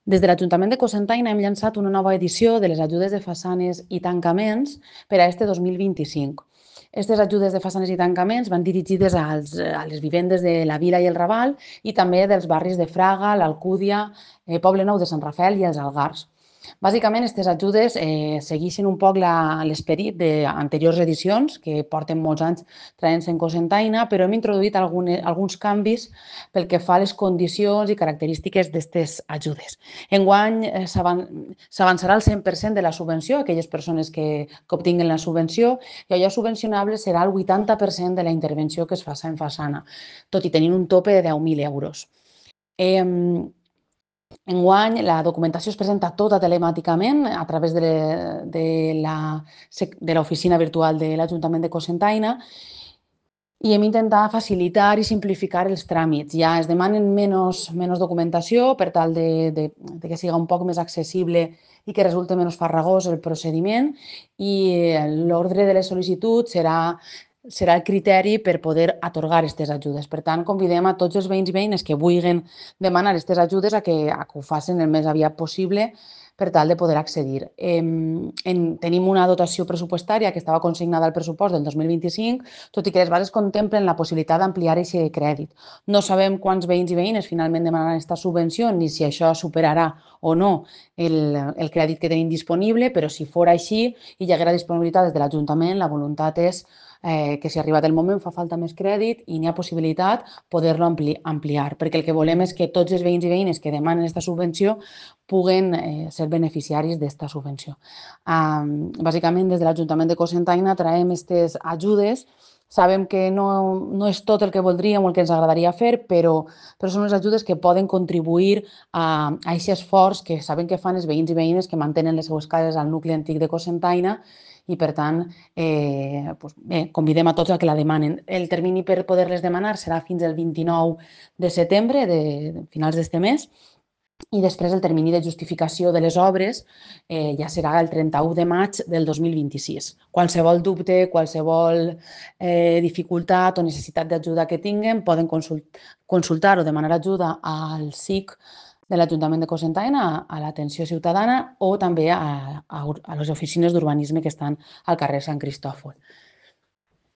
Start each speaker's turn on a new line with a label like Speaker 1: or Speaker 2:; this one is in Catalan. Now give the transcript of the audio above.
Speaker 1: Des de l'Ajuntament de Cocentaina hem llançat una nova edició de les ajudes de façanes i tancaments per a este 2025. Aquestes ajudes de façanes i tancaments van dirigides a les vivendes de la Vila i el Raval i també dels barris de Fraga, l'Alcúdia, Poble Nou de Sant Rafael i els Algars. Bàsicament, aquestes ajudes segueixen un poc l'esperit d'anteriors edicions, que porten molts anys traient-se en Cocentaina, però hem introduït alguns canvis pel que fa a les condicions i característiques d'aquestes ajudes. Enguany s'avançarà el 100% de la subvenció a aquelles persones que obtinguen la subvenció i allò subvencionable serà el 80% de la intervenció que es faci en façana, tot i tenint un tope de 10.000 euros. Enguany, la documentació es presenta tota telemàticament a través de l'oficina virtual de l'Ajuntament de Cocentaina i hem intentat facilitar i simplificar els tràmits. Ja es demanen menys documentació per tal de que siga un poc més accessible i que resulti menys farragós el procediment i l'ordre de les sol·licituds serà el criteri per poder atorgar aquestes ajudes. Per tant, convidem a tots els veïns i veïnes que vulguin demanar aquestes ajudes a que ho facin el més aviat possible per tal de poder accedir. Tenim una dotació pressupostària que estava consignada al pressupost del 2025, tot i que les bases contemplen la possibilitat d'ampliar aquest crèdit. No sabem quants veïns i veïnes finalment demanaran aquesta subvenció ni si això superarà o no el crèdit que tenim disponible, però si fos així i hi haguera disponibilitat des de l'Ajuntament, la voluntat és que si arribat el moment fa falta més crèdit i n'hi ha possibilitat poder-lo ampliar, perquè el que volem és que tots els veïns i veïnes que demanen aquesta subvenció puguen ser beneficiaris d'esta subvenció. Bàsicament, des de l'Ajuntament de Cocentaina traiem aquestes ajudes. Sabem que no és tot el que voldríem o el que ens agradaria fer, però són les ajudes que poden contribuir a aquest esforç que sabem que fan els veïns i veïnes que mantenen les seues cases al nucli antic de Cocentaina i, per tant, convidem a tots a que la demanen. El termini per poder-les demanar serà fins al 29 de setembre, de finals d'este mes, i després el termini de justificació de les obres ja serà el 31 de maig del 2026. Qualsevol dubte, qualsevol dificultat o necessitat d'ajuda que tinguen poden consultar o demanar ajuda al SIC de l'Ajuntament de Cocentaina, a l'atenció ciutadana o també a les oficines d'urbanisme que estan al carrer Sant Cristòfol.